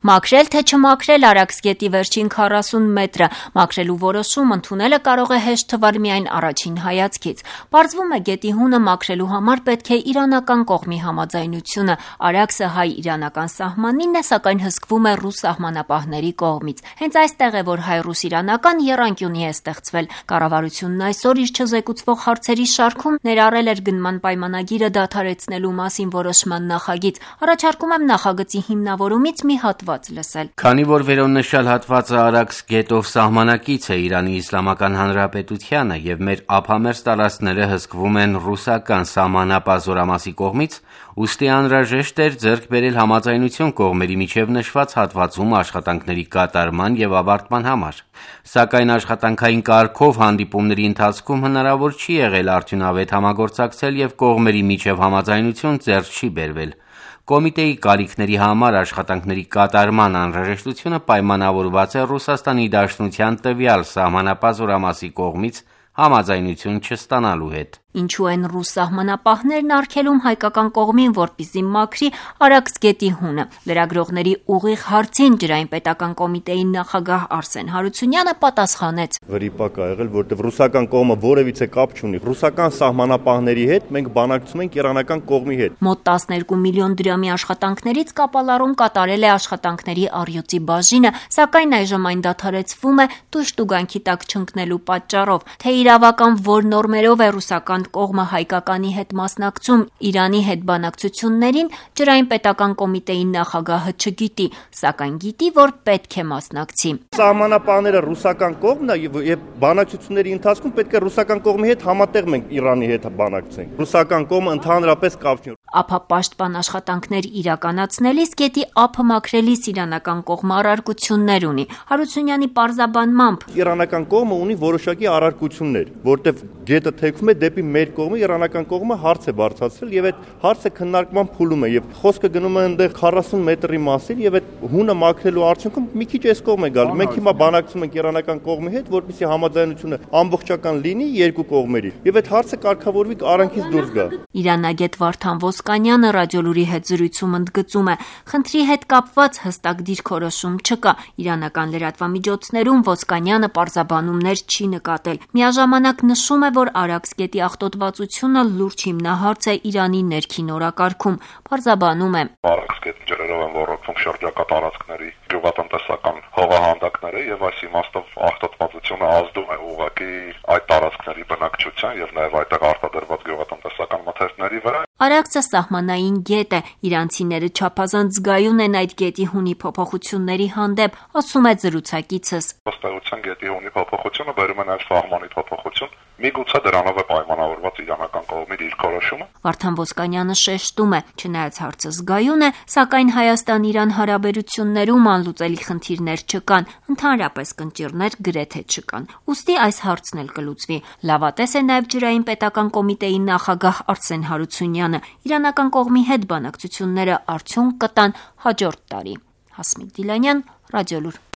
Մաքրել թե չմաքրել Արաքսգետի վերջին 40 մետրը, մաքրելու որոշում ընդունելը կարող է հեշտ թվալ միայն առաջին հայացքից։ Պարզվում է գետի հունը մաքրելու համար պետք է իրանական կողմի համաձայնությունը, Արաքսը հայ-իրանական սահմանին է, սակայն հսկվում է ռուս սահմանապահների կողմից։ Հենց այստեղ է, որ հայ-ռուս-իրանական եռանկյունի է ստեղծվել։ Կառավարությունն այսօր իր չզեկուցվող հարցերի շարքում ներառել էր գնման պայմանագիրը դադարեցնելու մասին որոշման նախագիծ։ Առաջարկում եմ նախագծի հիմնավորումից մի հատված լսել։ Քանի որ վերոնշյալ հատվածը Արաքս գետով սահմանակից է Իրանի Իսլամական Հանրապետությանը եւ մեր ափամերձ տարածքները հսկվում են ռուսական սահմանապահ զորամասի կողմից, ուստի անհրաժեշտ էր ձեռք բերել համաձայնություն կողմերի միջև նշված հատվածում աշխատանքների կատարման եւ ավարտման համար։ Սակայն աշխատանքային կարգով հանդիպումների ընթացքում հնարավոր չի եղել արդյունավետ համագործակցել եւ կողմերի միջև համաձայնություն ձեռք չի բերվել։ Կոմիտեի կարիքների համար աշխատանքների կատարման անհրաժեշտությունը պայմանավորված է Ռուսաստանի Դաշնության տվյալ սահմանապահ զորամասի կողմից համաձայնություն չստանալու հետ։ Ինչու են ռուս սահմանապահներն արգելում հայկական կողմին, որպեսզի մաքրի Արաքս գետի հունը։ Լրագրողների ուղիղ հարցին ջրային պետական կոմիտեի նախագահ Արսեն Հարությունյանը պատասխանեց. Վրիպակ ա եղել, որտեղ ռուսական կողմը որևիցե կապ չունի։ Ռուսական սահմանապահների հետ մենք բանակցում ենք իրանական կողմի հետ։ Մոտ 12 միլիոն դրամի աշխատանքներից կապալառում կատարել է աշխատանքների առյուծի բաժինը, սակայն այժմ այն դադարեցվում է տուժտուգանքի տակ չընկնելու պատճառով։ Թե իրավական որ նորմերով է ռուսական կողմը հայկականի հետ մասնակցում Իրանի հետ բանակցություններին, ջրային պետական կոմիտեի նախագահը չգիտի, սակայն գիտի, որ պետք է մասնակցի։ Սահմանապահները ռուսական կողմն է եւ բանակցությունների ընթացքում պետք է ռուսական կողմի հետ համատեղ մենք Իրանի հետ բանակցենք։ Ռուսական կողմը ընդհանրապես կապ չունի։ Ափապաշտպան աշխատանքներ իրականացնելիս գետի ափը մաքրելիս իրանական կողմը առարկություններ ունի։ Հարությունյանի պարզաբանմամբ իրանական կողմը ունի որոշակի առարկություններ, որտեղ գետը թեքվում է դեպի մեր կողմը, իրանական կողմը հարց է բարձրացրել եւ այդ հարցը քննարկման փուլում է եւ խոսքը գնում է այնտեղ 40 մետրի մասին եւ այդ հունը մաքրելու արդյունքում մի քիչ այս կողմ է գալու։ Մենք հիմա բանակցում ենք իրանական կողմի հետ, որպեսզի համաձայնությունը ամբողջական լինի երկու կողմերի եւ այդ հարցը կարգավորվի արանքից դուրս գա։ Իրանագետ Վարդան Ոսկանյանը ռադիոլուրի հետ զրույցում ընդգծում է. խնդրի հետ կապված հստակ դիրքորոշում չկա։ Իրանական լրատվամիջոցներում Ոսկանյանը պարզաբանումներ չի նկատել։ Միաժամանակ նշում է, որ Արաքս գետի աղտոտվածությունը լուրջ հիմնահարց է Իրանի ներքին օրակարգում։ Պարզաբանում է. Արաքս գետի ջրերով են ոռոգվում շրջակա տարածքների գյուղատնտեսական հողահանդակները եւ այս իմաստով աղտոտվածությունը ազդում է ուղղակի այդ տարածքների բնակչության եւ նաեւ այդտեղ արտադրված գյուղատնտեսական մթերքների վրա։ Արաքսը սահմանային գետ է, իրանցիները չափազանց զգայուն են այդ գետի հունի փոփոխությունների հանդեպ, ասում է զրուցակիցս։ Ըստ էության գետի հունի փոփոխությունը բերում է նաեւ սահմանի փոփոխություն, միգուցե դրանով է պայմանավորված իրանական կողմի դիրքորոշումը։ Վարդան Ոսկանյանը շեշտում է, չնայած հարցը զգայուն է, սակայն Հայաստան-Իրան հարաբերություններում անլուծելի խնդիրներ չկան, ընդհանրապես կնճիռներ գրեթե չկան։ Ուստի այս հարցն էլ կլուծվի։ Լավատես է նաև ջրային պետական կոմիտեի նախագահ Արսեն Հարությունյանը։ Իրանական կողմի հետ բանակցությունները արդյունք կտան հաջորդ տարի։ Հասմիկ Դիլանյան, Ռադիոլուր։